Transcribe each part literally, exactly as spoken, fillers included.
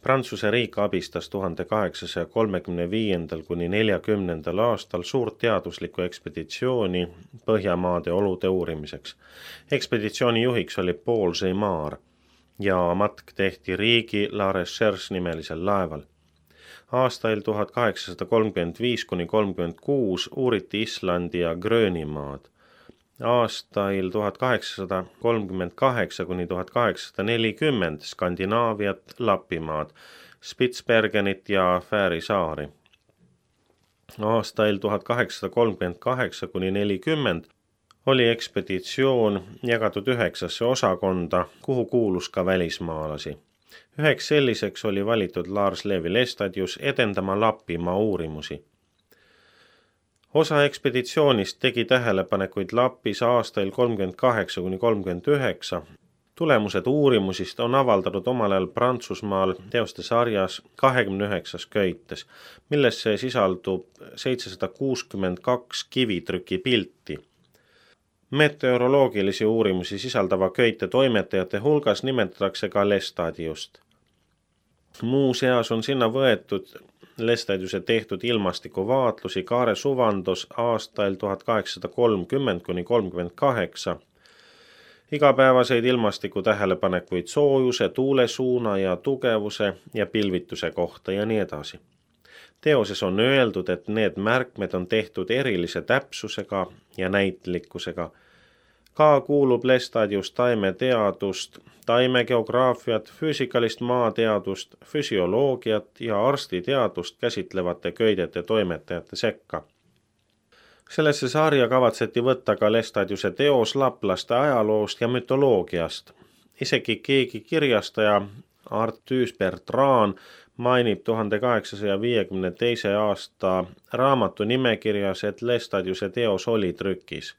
Prantsuse riik abistas tuhande kaheksasaja kolmekümne viiendal kuni neljakümnendal aastal suurt teaduslikku ekspeditsiooni Põhjamaade olude uurimiseks. Ekspeditsiooni juhiks oli Paul Zeymar ja matk tehti riigi La Recherche nimelisel laeval. Aastail tuhat kaheksasada kolmkümmend viis kuni kolmkümmend kuus uuriti Islandi ja Gröönimaad. Aastail tuhat kaheksasada kolmkümmend kaheksa kuni tuhat kaheksasada nelikümmend Skandinaaviat, Lapimaad, Spitsbergenit ja Fääri saari. Aastail tuhat kaheksasada kolmkümmend kaheksa kuni nelikümmend oli ekspeditsioon jagatud üheksasse osakonda, kuhu kuulus ka välismaalasi. Üheks selliseks oli valitud Lars Levi Lestadius edendama Lapimaa uurimusi. Osa ekspeditsioonist tegi tähelepanekuid Lapis aastail kolmkümmend kaheksa kuni kolmkümmend üheksa. Tulemused uurimusist on avaldatud omal ajal Prantsusmaal teoste sarjas kahekümne üheksas köites, millesse sisaldub seitsesada kuuskümmend kaks kivitrüki pilti. Meteoroloogilisi uurimusi sisaldava köite toimetajate hulgas nimetatakse ka Lestadiust. Muuseas on sinna võetud Lestadiuse tehtud ilmastikuvaatlusi Kaare Suvandos aastail tuhat kaheksasada kolmkümmend kuni kolmkümmend kaheksa, igapäevaseid ilmastiku tähelepanekuid soojuse, tuulesuuna ja tugevuse ja pilvituse kohta ja nii edasi. Teoses on öeldud, et need märkmed on tehtud erilise täpsusega ja näitlikkusega. Ka kuulub Lestadius taimeteadust, taimegeograafiat, füüsikalist maateadust, füsioloogiat ja arstiteadust käsitlevate köidete toimetajate sekka. Sellesse sarja kavatseti võtta ka Lestadiuse teos laplaste ajaloost ja mütoloogiast. Isegi keegi kirjastaja Arthus Bertrand mainib tuhande kaheksasaja viiekümne teise aasta raamatu nimekirjas, et Lestadiuse teos oli trükis.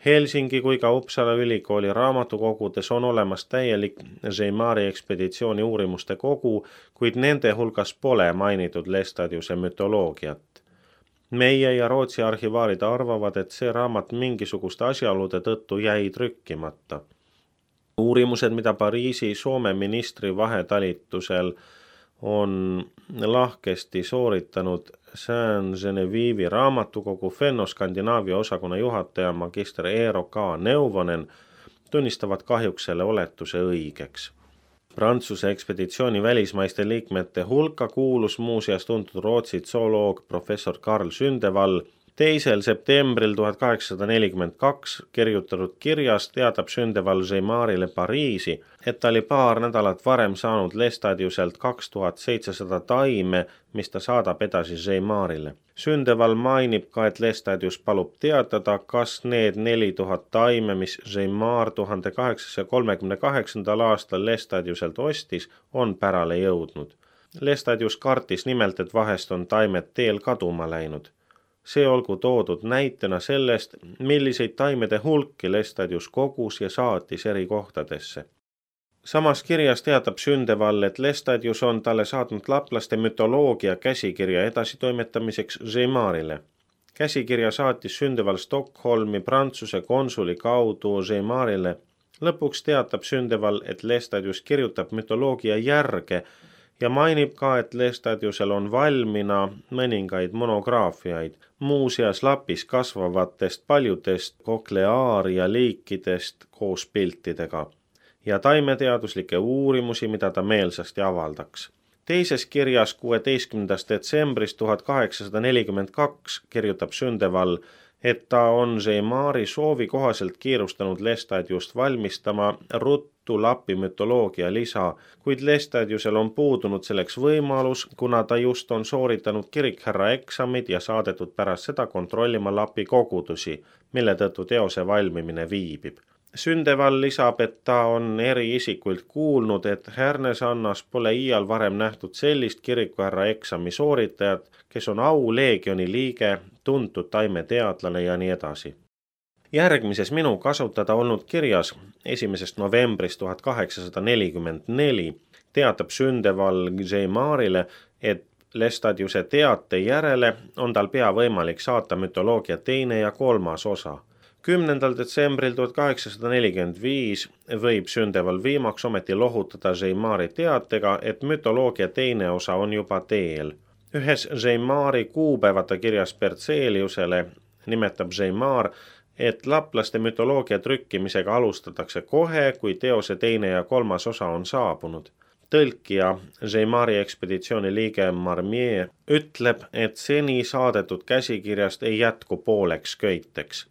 Helsingi kui ka Uppsala ülikooli raamatukogudes on olemas täielik Zeymari ekspeditsiooni uurimuste kogu, kuid nende hulgas pole mainitud Lestadiuse mütoloogiat. Meie ja Rootsi arhivaarid arvavad, et see raamat mingisuguste asjaolude tõttu jäi trükkimata. Uurimused, mida Pariisi Soome ministri vahetalitusel on lahkesti sooritanud Saint-Genevive'i raamatukogu Fenno-Skandinaavia osakonna juhataja magister Eero K. Neuvonen, tunnistavad kahjuks selle oletuse õigeks. Prantsuse ekspeditsiooni välismaiste liikmete hulka kuulus muuseas tuntud Rootsi zooloog professor Carl Sündevall. teisel septembril tuhat kaheksasada nelikümmend kaks kirjutatud kirjas teatab Sündevall Zeymarile Pariisi, et ta oli paar nädalat varem saanud Lestadiuselt kaks tuhat seitsesada taime, mis ta saadab edasi Zeymarile. Sündevall mainib ka, et Lestadius palub teatada, kas need neli tuhat taime, mis Zeymar tuhande kaheksasaja kolmekümne kaheksandal aastal Lestadiuselt ostis, on pärale jõudnud. Lestadius kartis nimelt, et vahest on taimed teel kaduma läinud. See olgu toodud näitena sellest, milliseid taimede hulki Lestadius kogus ja saatis eri kohtadesse. Samas kirjas teatab Sündevall, et Lestadius on talle saatnud laplaste mütoloogia käsikirja edasitoimetamiseks Zeymarile. Käsikirja saatis Sündevall Stockholmi Prantsuse konsuli kaudu Zeymarile. Lõpuks teatab Sündevall, et Lestadius kirjutab mütoloogia järge ja mainib ka, et Lestadiusel on valmina mõningaid monograafiaid, muuseas Lapis kasvavatest paljudest kokleaaria liikidest koos piltidega ja taimeteaduslikke uurimusi, mida ta meelsasti avaldaks. Teises kirjas kuueteistkümnendast detsembrist tuhat kaheksasada nelikümmend kaks kirjutab Sündevall, et ta on Zeymari soovi kohaselt kiirustanud Lestadiust valmistama ruttu Lapi mütoloogia lisa, kuid Lestadiusel on puudunud selleks võimalus, kuna ta just on sooritanud kirikhärra eksamid ja saadetud pärast seda kontrollima Lapi kogudusi, mille tõttu teose valmimine viibib. Sündevall lisab, et ta on eri isikuilt kuulnud, et Härnesannas pole iial varem nähtud sellist kirikuhärra eksami sooritajat, kes on auleegioni liige, tuntud taimeteadlane ja nii edasi. Järgmises minu kasutada olnud kirjas esimesest novembrist tuhat kaheksasada nelikümmend neli teatab Sündevall Zeymarile, et Lestadiuse teate järele on tal pea võimalik saata mütoloogia teine ja kolmas osa. kümnendal detsembril tuhat kaheksasada nelikümmend viis võib sündeval viimaks ometi lohutada Zeimari teatega, et mütoloogia teine osa on juba teel. Ühes Zeimari kuupäevata kirjas Bertseliusele nimetab Zeimar, et laplaste mütoloogia trükkimisega alustatakse kohe, kui teose teine ja kolmas osa on saabunud. Tõlkija, Zeimari ekspeditsiooni liige Marmier, ütleb, et seni saadetud käsikirjast ei jätku pooleks köiteks.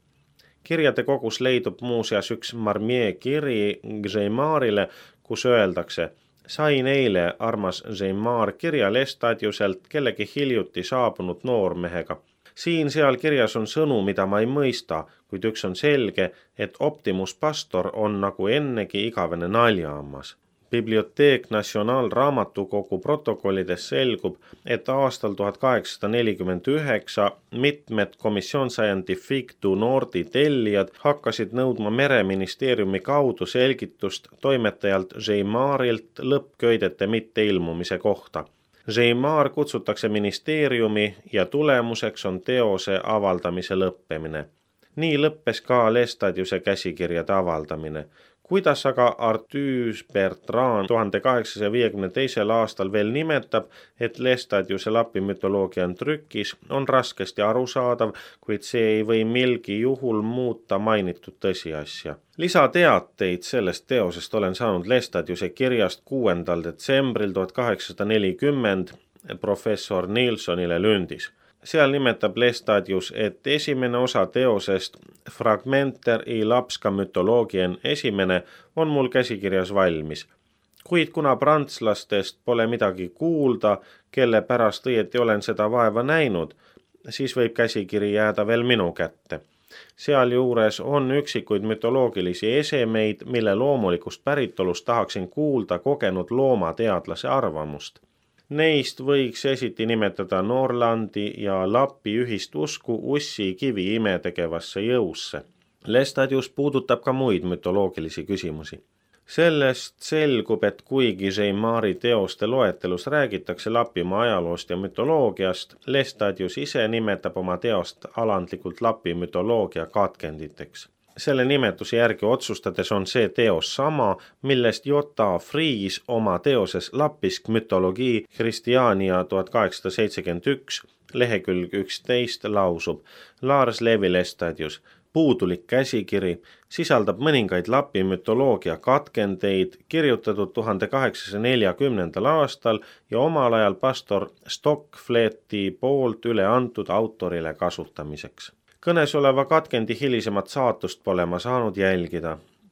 Kirjade kogus leidub muuseas üks Marmier kiri Zeimarile, kus öeldakse: sain eile, armas Zeimar, kirja Lestadiuselt kellegi hiljuti saabunud noormehega. Siin seal kirjas on sõnu, mida ma ei mõista, kuid üks on selge, et Optimus Pastor on nagu ennegi igavene naljaammas. Bibliotheek National raamatukogu protokollides selgub, et aastal tuhat kaheksasada nelikümmend üheksa mitmed Commission Scientifique du Nordi tellijad hakkasid nõudma mereministeeriumi kaudu selgitust toimetajalt Zeimarilt lõppköidete mitteilmumise kohta. Zeimar kutsutakse ministeeriumi ja tulemuseks on teose avaldamise lõppemine. Nii lõppes ka Lestadiuse käsikirjade avaldamine. Kuidas aga Arthus Bertrand tuhande kaheksasaja viiekümne teisel aastal veel nimetab, et Lestadiuse lapi mütoloogia on trükis, on raskesti arusaadav, kuid see ei või milgi juhul muuta mainitud tõsiasja. Lisateateid sellest teosest olen saanud Lestadiuse kirjast kuuendal detsembril tuhat kaheksasada nelikümmend professor Nilssonile Lündis. Seal nimetab Lestadius, et esimene osa teosest Fragmenter i lapska mütoloogien esimene on mul käsikirjas valmis. Kuid kuna prantslastest pole midagi kuulda, kelle pärast õieti olen seda vaeva näinud, siis võib käsikiri jääda veel minu kätte. Sealjuures on üksikuid mütoloogilisi esemeid, mille loomulikust päritolust tahaksin kuulda kogenud loomateadlase arvamust. Neist võiks esiti nimetada Norlandi ja Lapi ühist usku ussi kivi imetegevasse jõusse. Lestadius puudutab ka muid mütoloogilisi küsimusi. Sellest selgub, et kuigi Zeimari teoste loetelus räägitakse Lapimaa ajaloost ja mütoloogiast, Lestadius ise nimetab oma teost alandlikult Lapi mütoloogia katkenditeks. Selle nimetuse järgi otsustades on see teos sama, millest J A Fries oma teoses Lapisk mütologii Christiania tuhat kaheksasada seitsekümmend üks lehekülg üksteist lausub: Lars Levi Lestadius, puudulik käsikiri, sisaldab mõningaid Lapi mütoloogia katkendeid, kirjutatud tuhande kaheksasaja neljakümnendal aastal ja omal ajal pastor Stockfleti poolt üle antud autorile kasutamiseks. Kõnes oleva katkendi hilisemat saatust pole ma saanud jälgida.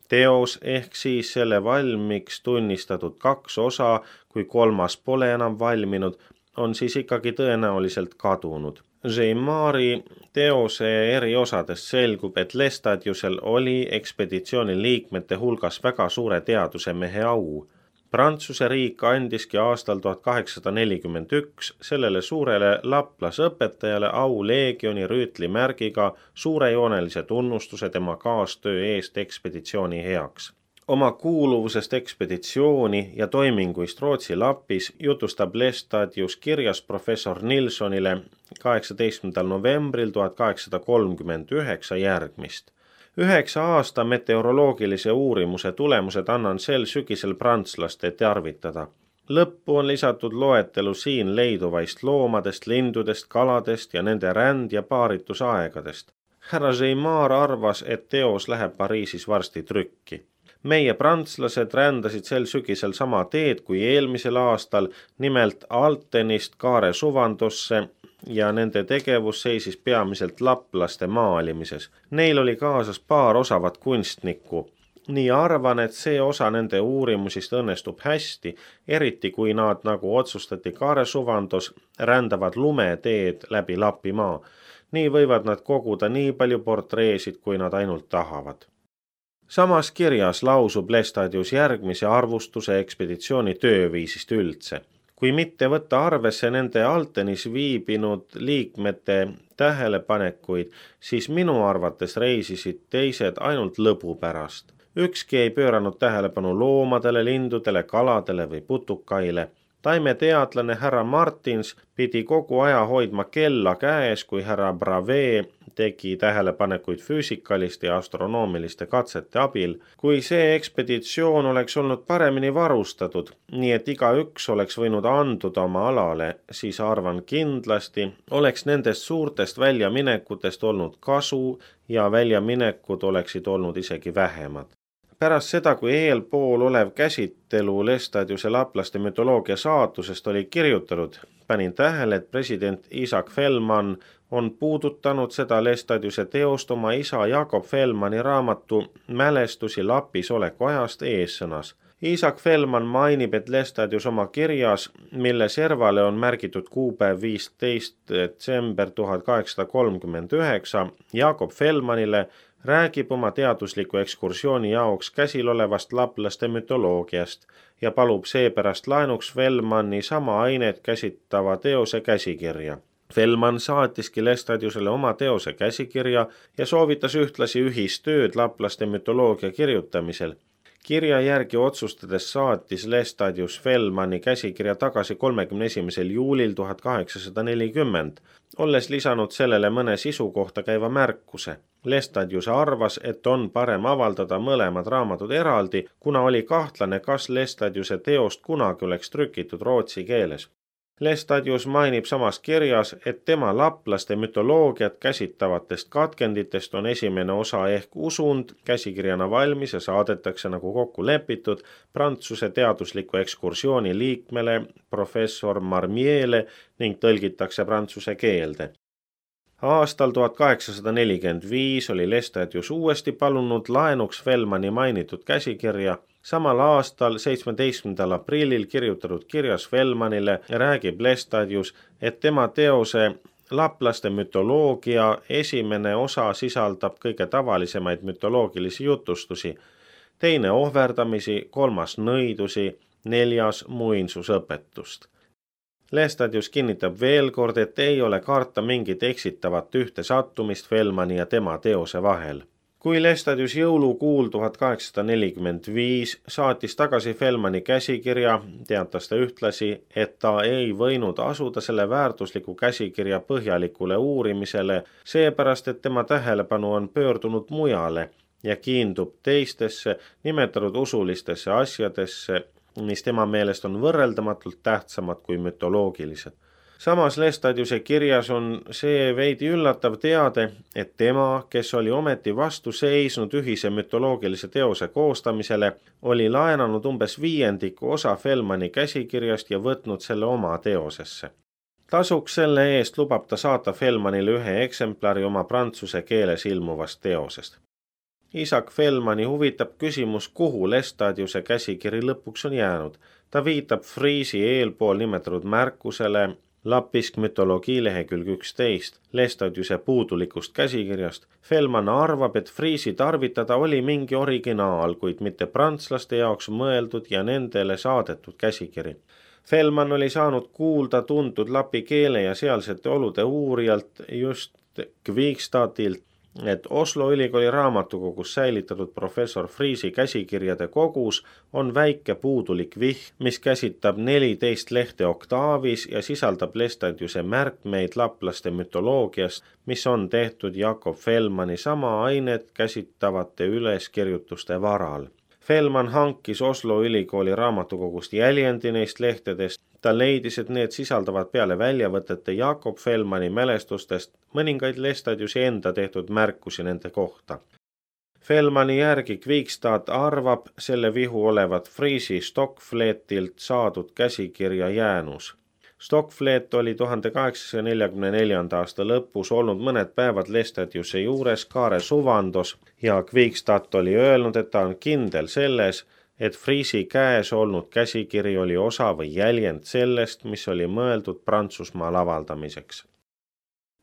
Teos ehk siis selle valmiks tunnistatud kaks osa, kui kolmas pole enam valminud, on siis ikkagi tõenäoliselt kadunud. Zeimari teose eri osadest selgub, et Lestadiusel oli ekspeditsiooni liikmete hulgas väga suure teadusemehe au. Prantsuse riik andiski aastal tuhat kaheksasada nelikümmend üks sellele suurele laplasõpetajale au leegioni rüütlimärgiga suurejoonelise tunnustuse tema kaastöö eest ekspeditsiooni heaks. Oma kuuluvusest ekspeditsiooni ja toiminguist Rootsi Lapis jutustab Lestadius kirjas professor Nilssonile kaheksateistkümnendal novembril tuhat kaheksasada kolmkümmend üheksa järgmist. Üheksa aasta meteoroloogilise uurimuse tulemused annan sel sügisel prantslaste tearvitada. Lõppu on lisatud loetelu siin leiduvaist loomadest, lindudest, kaladest ja nende ränd- ja paaritusaegadest. Härra Zeimar arvas, et teos läheb Pariisis varsti trükki. Meie prantslased rändasid sel sügisel sama teed kui eelmisel aastal, nimelt Altenist Kaare suvandusse, ja nende tegevus seisis peamiselt laplaste maalimises. Neil oli kaasas paar osavat kunstnikku. Nii arvan, et see osa nende uurimusist õnnestub hästi, eriti kui nad, nagu otsustati Kaare suvandus, rändavad lumeteed läbi Lapimaa. Nii võivad nad koguda nii palju portreesid, kui nad ainult tahavad. Samas kirjas lausub Lestadius järgmise arvustuse ekspeditsiooni tööviisist üldse. Kui mitte võtta arvesse nende Altenis viibinud liikmete tähelepanekuid, siis minu arvates reisisid teised ainult lõbu pärast. Ükski ei pööranud tähelepanu loomadele, lindudele, kaladele või putukaile. taimeteadlane härra Martins pidi kogu aja hoidma kella käes, kui härra Bravee tegi tähelepanekuid füüsikaliste ja astronoomiliste katsete abil. Kui see ekspeditsioon oleks olnud paremini varustatud, nii et igaüks oleks võinud anduda oma alale, siis arvan kindlasti oleks nendest suurtest väljaminekutest olnud kasu ja väljaminekud oleksid olnud isegi vähemad. Pärast seda, kui eelpool olev käsitelu Lestadiuse laplaste mütoloogia saatusest oli kirjutanud, panin tähele, et president Isaac Fellman on puudutanud seda Lestadiuse teost oma isa Jakob Fellmani raamatu Mälestusi Lapis oleku ajast eessõnas. Isaac Fellman mainib, et Lestadius oma kirjas, mille servale on märgitud kuupäev viisteist detsember tuhat kaheksasada kolmkümmend üheksa, Jakob Fellmanile räägib oma teadusliku ekskursiooni jaoks käsil olevast laplaste mütoloogiast ja palub seepärast laenuks Fellmani sama ainet käsitleva teose käsikirja. Fellman saatiski Lestadiusele oma teose käsikirja ja soovitas ühtlasi ühistööd laplaste mütoloogia kirjutamisel. Kirja järgi otsustades saatis Lestadius Fellmani käsikirja tagasi kolmekümne esimesel juulil tuhat kaheksasada nelikümmend, olles lisanud sellele mõne sisu kohta käiva märkuse. Lestadius arvas, et on parem avaldada mõlemad raamatud eraldi, kuna oli kahtlane, kas Lestadiuse teost kunagi oleks trükitud rootsi keeles. Lestadius mainib samas kirjas, et tema laplaste mütoloogiat käsitavatest katkenditest on esimene osa ehk usund käsikirjana valmis ja saadetakse nagu kokku lepitud Prantsuse teadusliku ekskursiooni liikmele professor Marmiele ning tõlgitakse prantsuse keelde. Aastal tuhat kaheksasada nelikümmend viis oli Lestadius uuesti palunud laenuks Fellmani mainitud käsikirja. Samal aastal seitsmeteistkümnendal aprillil kirjutatud kirjas Fellmanile räägib Lestadius, et tema teose laplaste mütoloogia esimene osa sisaldab kõige tavalisemaid mütoloogilisi jutustusi, teine ohverdamisi, kolmas nõidusi, neljas muinsusõpetust. Lestadius kinnitab veel kord, et ei ole karta mingit eksitavat ühte sattumist Fellmani ja tema teose vahel. Kui Lestadius jõulukuul tuhat kaheksasada nelikümmend viis saatis tagasi Fellmani käsikirja, teatas ta ühtlasi, et ta ei võinud asuda selle väärtusliku käsikirja põhjalikule uurimisele, seepärast, et tema tähelepanu on pöördunud mujale ja kiindub teistesse nimetatud usulistesse asjadesse, mis tema meelest on võrreldamatult tähtsamad kui mütoloogilised. Samas Lestadiuse kirjas on see veidi üllatav teade, et tema, kes oli ometi vastu seisnud ühise mütoloogilise teose koostamisele, oli laenanud umbes viiendiku osa Fellmani käsikirjast ja võtnud selle oma teosesse. Tasuks selle eest lubab ta saata Fellmanile ühe eksemplari oma prantsuse keeles ilmuvast teosest. Isaac Fellmani huvitab küsimus, kuhu Lestadiuse käsikiri lõpuks on jäänud. Ta viitab Friisi eelpool nimetatud märkusele Lapisk mütoloogia lehekülg üksteist Lestadiuse puudulikust käsikirjast. Fellman arvab, et Friisi tarvitada oli mingi originaal, kuid mitte prantslaste jaoks mõeldud ja nendele saadetud käsikiri. Fellman oli saanud kuulda tuntud lapi keele ja sealsete olude uurijalt just Kvikstadilt, et Oslo ülikooli raamatukogus säilitatud professor Friisi käsikirjade kogus on väike puudulik vihm, mis käsitab neliteist lehte oktaavis ja sisaldab Lestadiuse märkmeid laplaste mütoloogiast, mis on tehtud Jakob Fellmani sama ainet käsitavate üleskirjutuste varal. Fellman hankis Oslo ülikooli raamatukogust jäljendi neist lehtedest. Ta leidis, et need sisaldavad peale väljavõtete Jakob Fellmani mälestustest mõningaid Lestadiuse enda tehtud märkusi nende kohta. Fellmani järgi Kvikstad arvab selle vihu olevat Friisi Stockfletilt saadud käsikirja jäänus. Stockflet oli tuhande kaheksasaja neljakümne neljanda aasta lõpus olnud mõned päevad Lestadiuse juures Kaare suvandos ja Kvikstad oli öelnud, et ta on kindel selles, et Friisi käes olnud käsikiri oli osa või jäljend sellest, mis oli mõeldud Prantsusmaal avaldamiseks.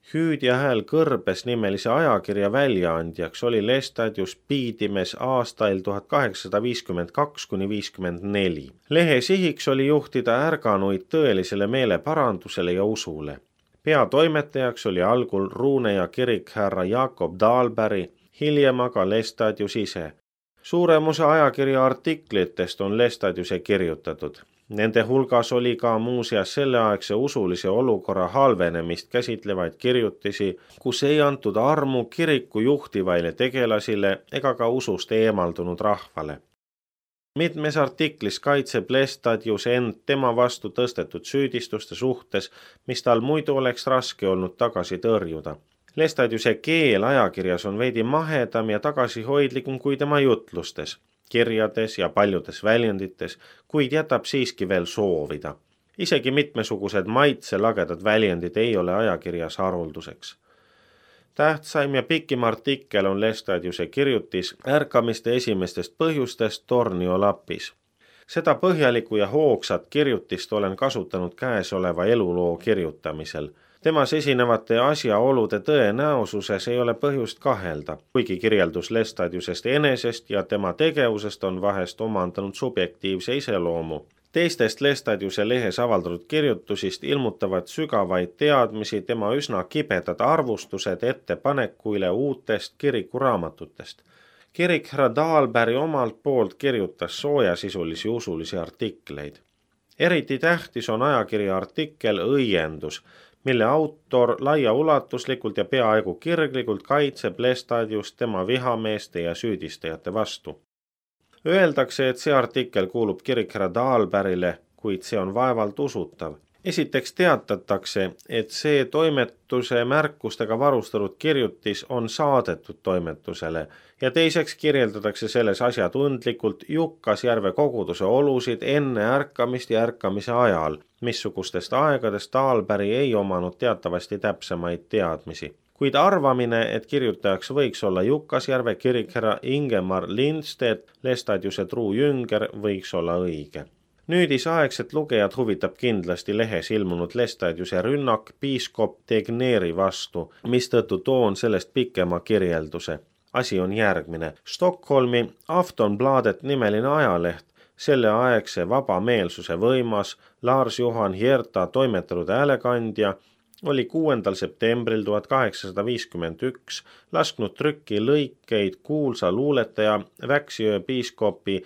Hüüd ja hääl kõrbes nimelise ajakirja väljaandjaks oli Lestadius Piidimes aastail tuhat kaheksasada viiskümmend kaks kuni viiskümmend neli. Lehe sihiks oli juhtida ärganuid tõelisele meeleparandusele ja usule. Peatoimetajaks oli algul Ruuneja kirik härra Jakob Dahlberg, hiljem aga Lestadius ise. Suurem osa ajakirja artiklitest on Lestadiuse kirjutatud. Nende hulgas oli ka muuseas selleaegse usulise olukorra halvenemist käsitlevaid kirjutisi, kus ei antud armu kiriku juhtivaile tegelasile ega ka usust eemaldunud rahvale. Mitmes artiklis kaitseb Lestadius end tema vastu tõstetud süüdistuste suhtes, mis tal muidu oleks raske olnud tagasi tõrjuda. Lestadiuse keel ajakirjas on veidi mahedam ja tagasihoidlikum kui tema jutlustes, kirjades ja paljudes väljendites, kuid jätab siiski veel soovida. Isegi mitmesugused maitselagedad väljendid ei ole ajakirjas harulduseks. Tähtsaim ja pikim artikkel on Lestadiuse kirjutis ärkamiste esimestest põhjustest Tornio lapis. Seda põhjalikku ja hoogsat kirjutist olen kasutanud käesoleva eluloo kirjutamisel. Temas esinevate asjaolude tõenäosuses ei ole põhjust kahelda, kuigi kirjeldus Lestadiusest enesest ja tema tegevusest on vahest omandanud subjektiivse iseloomu. Teistest Lestadiuse lehes avaldatud kirjutusist ilmutavad sügavaid teadmisi tema üsna kibedad arvustused ettepanekuile uutest kirikuraamatutest. Kirik härra Dahlberg omalt poolt kirjutas soojasisulisi usulisi artikleid. Eriti tähtis on ajakirja artikkel Õiendus, mille autor laiaulatuslikult ja peaaegu kirglikult kaitseb Lestadiust tema vihameeste ja süüdistajate vastu. Öeldakse, et see artikkel kuulub kirik härra Dahlbergile, kuid see on vaevalt usutav. Esiteks teatatakse, et see toimetuse märkustega varustatud kirjutis on saadetud toimetusele ja teiseks kirjeldatakse selles asjatundlikult Jukkasjärve koguduse olusid enne ärkamist ja ärkamise ajal, missugustest aegadest Dahlberg ei omanud teatavasti täpsemaid teadmisi. Kuid arvamine, et kirjutajaks võiks olla Jukkasjärve kirik härra Ingemar Lindstedt, Lestadiuse truu jünger, võiks olla õige. Nüüdisaegset lugejad huvitab kindlasti lehes ilmunud Lestadiuse rünnak piiskop Tegnéri vastu, mistõttu toon sellest pikema kirjelduse. Asi on järgmine. Stockholmi Aftonbladet nimeline ajaleht, selle aegse vabameelsuse võimas Lars Johan Hierta toimetatud häälekandja, oli kuuendal septembril tuhat kaheksasada viiskümmend üks lasknud trükki lõikeid kuulsa luuletaja Väksjö piiskopi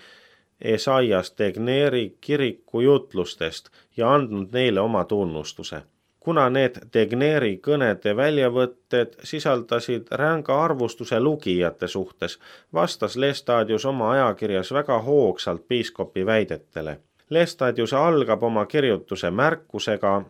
Esaias Tegnéri kiriku jutlustest ja andnud neile oma tunnustuse. Kuna need Tegnéri kõnede väljavõtted sisaldasid ränga arvustuse lugijate suhtes, vastas Lestadius oma ajakirjas väga hoogsalt piiskopi väidetele. Lestadius algab oma kirjutuse märkusega,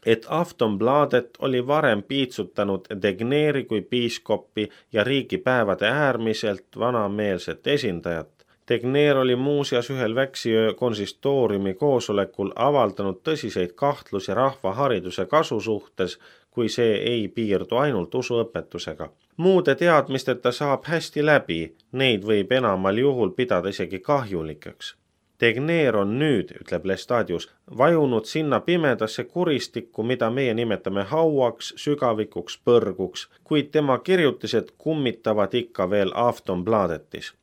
et Aftonbladet oli varem piitsutanud Tegnéri kui piiskopi ja riigipäevade äärmiselt vanameelset esindajat. Tegnér oli muuseas ühel Väksjö konsistooriumi koosolekul avaldanud tõsiseid kahtlusi rahvahariduse kasu suhtes, kui see ei piirdu ainult usuõpetusega. Muude teadmisteta saab hästi läbi, neid võib enamal juhul pidada isegi kahjulikeks. Tegnér on nüüd, ütleb Lestadius, vajunud sinna pimedasse kuristikku, mida meie nimetame hauaks, sügavikuks, põrguks, kuid tema kirjutised kummitavad ikka veel Aftonbladetis.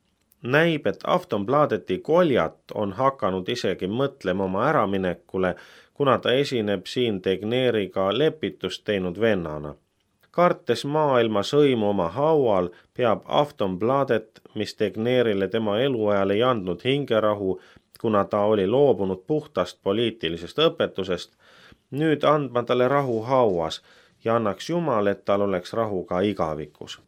Näib, et Aftonbladeti koljat on hakanud isegi mõtlema oma äraminekule, kuna ta esineb siin Tegnériga lepitust teinud vennana. Kartes maailma sõimu oma haual, peab Aftonbladet, mis Tegnérile tema eluajal ei andnud hingerahu, kuna ta oli loobunud puhtast poliitilisest õpetusest, nüüd andma talle rahu hauas ja annaks Jumal, et tal oleks rahu ka igavikus.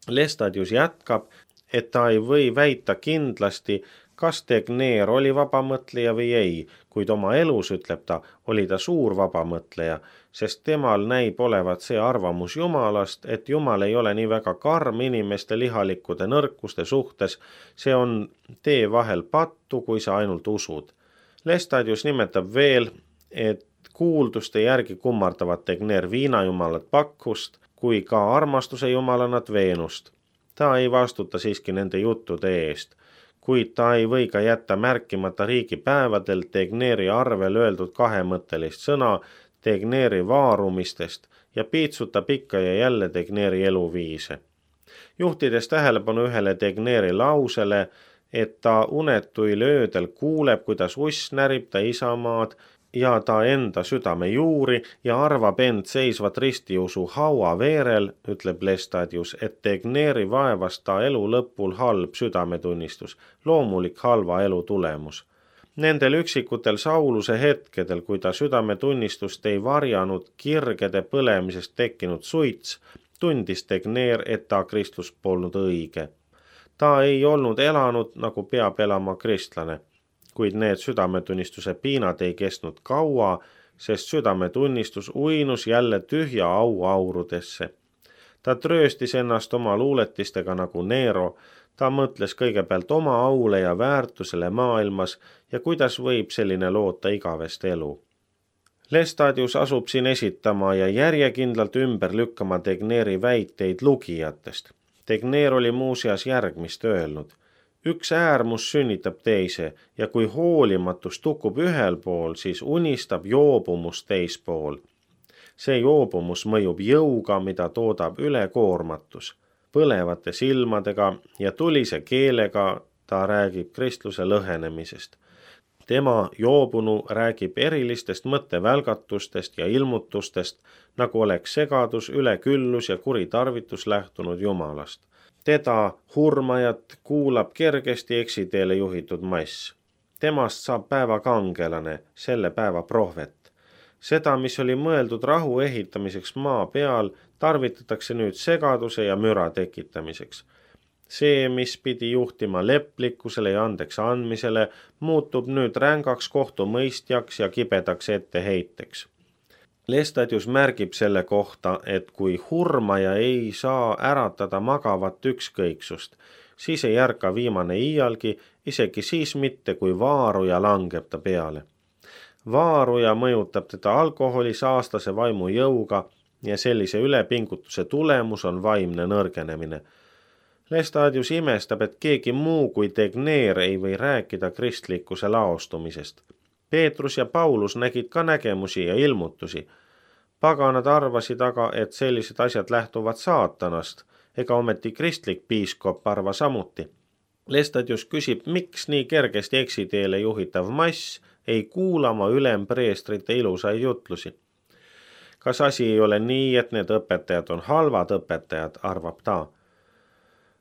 Lestadius jätkab, et ta ei või väita kindlasti, kas Tegnér oli vabamõtleja või ei, kuid oma elus, ütleb ta, oli ta suur vabamõtleja, sest temal näib olevat see arvamus Jumalast, et Jumal ei ole nii väga karm inimeste lihalikkude nõrkuste suhtes, see on tee vahel pattu, kui sa ainult usud. Lestadius nimetab veel, et kuulduste järgi kummardavad Tegnér viinajumalat Bakkust, kui ka armastuse jumalanat Veenust. Ta ei vastuta siiski nende juttude eest, kuid ta ei või ka jätta märkimata riigipäevadel Tegnéri arvel öeldud kahemõttelist sõna Tegnéri vaarumistest ja piitsutab ikka ja jälle Tegnéri eluviise. Juhtides tähelepanu ühele Tegnéri lausele, et ta unetuil öödel kuuleb, kuidas uss närib ta isamaad ja ta enda südame juuri ja arvab end seisvat ristiusu haua veerel, ütleb Lestadius, et Tegnéri vaevas ta elu lõpul halb südametunnistus, loomulik halva elu tulemus. Nendel üksikutel Sauluse hetkedel, kui ta südametunnistust ei varjanud kirgede põlemisest tekkinud suits, tundis Tegner, et ta kristlus polnud õige. Ta ei olnud elanud, nagu peab elama kristlane, kuid need südametunnistuse piinad ei kestnud kaua, sest südametunnistus uinus jälle tühja auaurudesse. Ta trööstis ennast oma luuletistega nagu Nero, ta mõtles kõigepealt oma aule ja väärtusele maailmas ja kuidas võib selline loota igavest elu. Lestadius asub siin esitama ja järjekindlalt ümber lükkama Tegneri väiteid lugijatest. Tegner oli muuseas järgmist öelnud. Üks äärmus sünnitab teise ja kui hoolimatus tukub ühel pool, siis unistab joobumus teispool. See joobumus mõjub jõuga, mida toodab ülekoormatus. Põlevate silmadega ja tulise keelega ta räägib kristluse lõhenemisest. Tema joobunu räägib erilistest mõttevälgatustest ja ilmutustest, nagu oleks segadus, üleküllus ja kuritarvitus lähtunud Jumalast. Teda, hurmajat, kuulab kergesti eksiteele juhitud mass. Temast saab päeva kangelane, selle päeva prohvet. Seda, mis oli mõeldud rahu ehitamiseks maa peal, tarvitatakse nüüd segaduse ja müra tekitamiseks. See, mis pidi juhtima leplikkusele ja andeks andmisele, muutub nüüd rängaks kohtumõistjaks ja kibedaks etteheiteks. Lestadius märgib selle kohta, et kui hurmaja ei saa äratada magavat ükskõiksust, siis ei ärka viimane iialgi, isegi siis mitte, kui vaaruja langeb ta peale. Vaaruja mõjutab teda alkoholi saastase vaimu jõuga ja sellise ülepingutuse tulemus on vaimne nõrgenemine. Lestadius imestab, et keegi muu kui Tegner ei või rääkida kristlikkuse laostumisest. Peetrus ja Paulus nägid ka nägemusi ja ilmutusi. Paganad arvasid aga, et sellised asjad lähtuvad saatanast, ega ometi kristlik piiskop arva samuti. Lestadius küsib, miks nii kergesti eksiteele juhitav mass ei kuulama ülempreestrite ilusaid jutlusi. Kas asi ei ole nii, et need õpetajad on halvad õpetajad, arvab ta.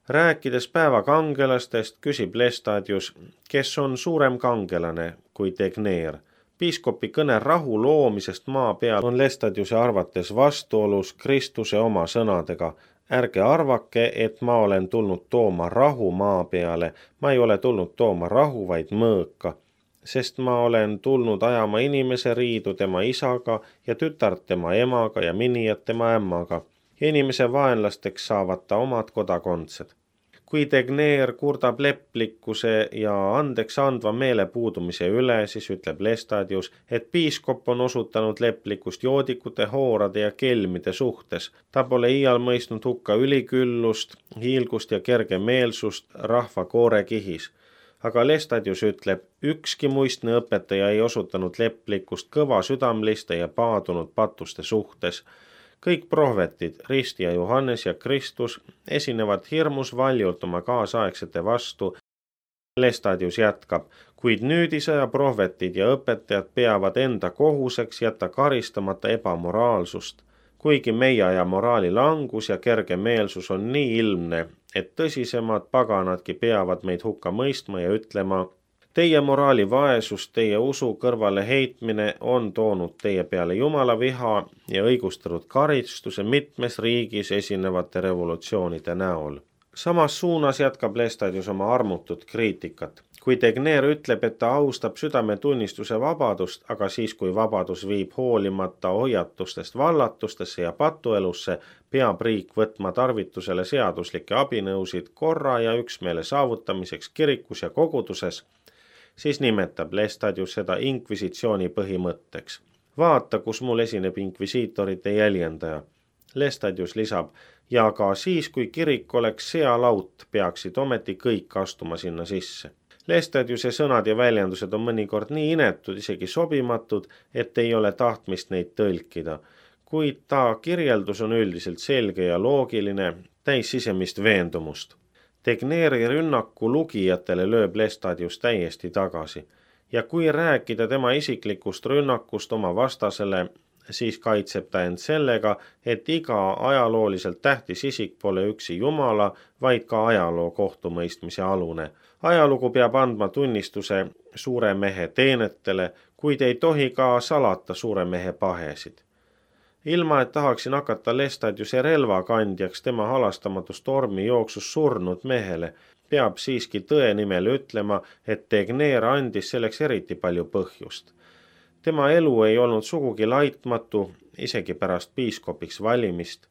Rääkides päeva kangelastest, küsib Lestadius, kes on suurem kangelane kui Tegner. Piiskopi kõne rahu loomisest maa peal on Lestadiuse arvates vastuolus Kristuse oma sõnadega. Ärge arvake, et ma olen tulnud tooma rahu maa peale, ma ei ole tulnud tooma rahu, vaid mõõka, sest ma olen tulnud ajama inimese riidu tema isaga ja tütart tema emaga ja minijat tema ämmaga. Inimese vaenlasteks saavad ta omad kodakondsed. Kui Tegner kurdab leplikkuse ja andeks andva meele puudumise üle, siis ütleb Lestadius, et piiskop on osutanud leplikkust joodikute, hoorade ja kelmide suhtes. Ta pole iial mõistnud hukka üliküllust, hiilgust ja kergemeelsust rahva koorekihis. Aga Lestadius ütleb, ükski muistne õpetaja ei osutanud leplikkust kõva südamliste ja paadunud patuste suhtes. Kõik prohvetid, Rist ja Johannes ja Kristus, esinevad hirmus valjult oma kaasaegsete vastu. Lestadius jätkab, kuid nüüdisaja prohvetid ja õpetajad peavad enda kohuseks jätta karistamata ebamoraalsust. Kuigi meie aja moraali langus ja kergemeelsus on nii ilmne, et tõsisemad paganadki peavad meid hukka mõistma ja ütlema, teie moraali vaesus, teie usu kõrvale heitmine on toonud teie peale Jumala viha ja õigustatud karistuse mitmes riigis esinevate revolutsioonide näol. Samas suunas jätkab Lestadius oma armutut kriitikat. Kui Tegner ütleb, et ta austab südametunnistuse vabadust, aga siis kui vabadus viib hoolimata hoiatustest vallatustesse ja patuelusse, peab riik võtma tarvitusele seaduslikke abinõusid korra ja üksmeele saavutamiseks kirikus ja koguduses, siis nimetab Lestadius seda inkvisitsiooni põhimõtteks. Vaata, kus mul esineb inkvisiitorite jäljendaja. Lestadius lisab, ja ka siis, kui kirik oleks sealaut, peaksid ometi kõik astuma sinna sisse. Lestadiuse sõnad ja väljendused on mõnikord nii inetud, isegi sobimatud, et ei ole tahtmist neid tõlkida. Kuid ta kirjeldus on üldiselt selge ja loogiline, täis sisemist veendumust. Tegneri rünnaku lugijatele lööb Lestadius täiesti tagasi. Ja kui rääkida tema isiklikust rünnakust oma vastasele, siis kaitseb ta end sellega, et iga ajalooliselt tähtis isik pole üksi Jumala, vaid ka ajaloo kohtumõistmise alune. Ajalugu peab andma tunnistuse suure mehe teenetele, kuid ei tohi ka salata suure mehe pahesid. Ilma, et tahaksin hakata Lestadiuse relvakandjaks tema halastamatust tormi jooksus surnud mehele, peab siiski tõe nimel ütlema, et Tegner andis selleks eriti palju põhjust. Tema elu ei olnud sugugi laitmatu, isegi pärast piiskopiks valimist.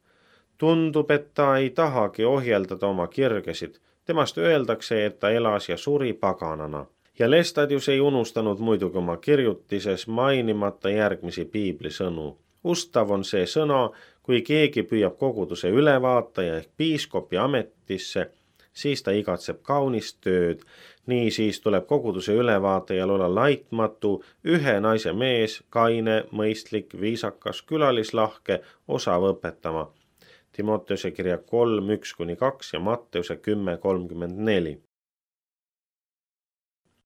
Tundub, et ta ei tahagi ohjeldada oma kirgesid. Temast öeldakse, et ta elas ja suri paganana. Ja Lestadius ei unustanud muidugi oma kirjutises mainimata järgmisi piiblisõnu. Ustav on see sõna, kui keegi püüab koguduse ülevaataja ehk piiskopi ametisse, siis ta igatseb kaunist tööd. Nii siis tuleb koguduse ülevaatajal olla laitmatu, ühe naise mees, kaine, mõistlik, viisakas, külalislahke, osav õpetama. Timoteuse kirja kolm, üks kuni kaks ja Matteuse kümme, kolmkümmend neli.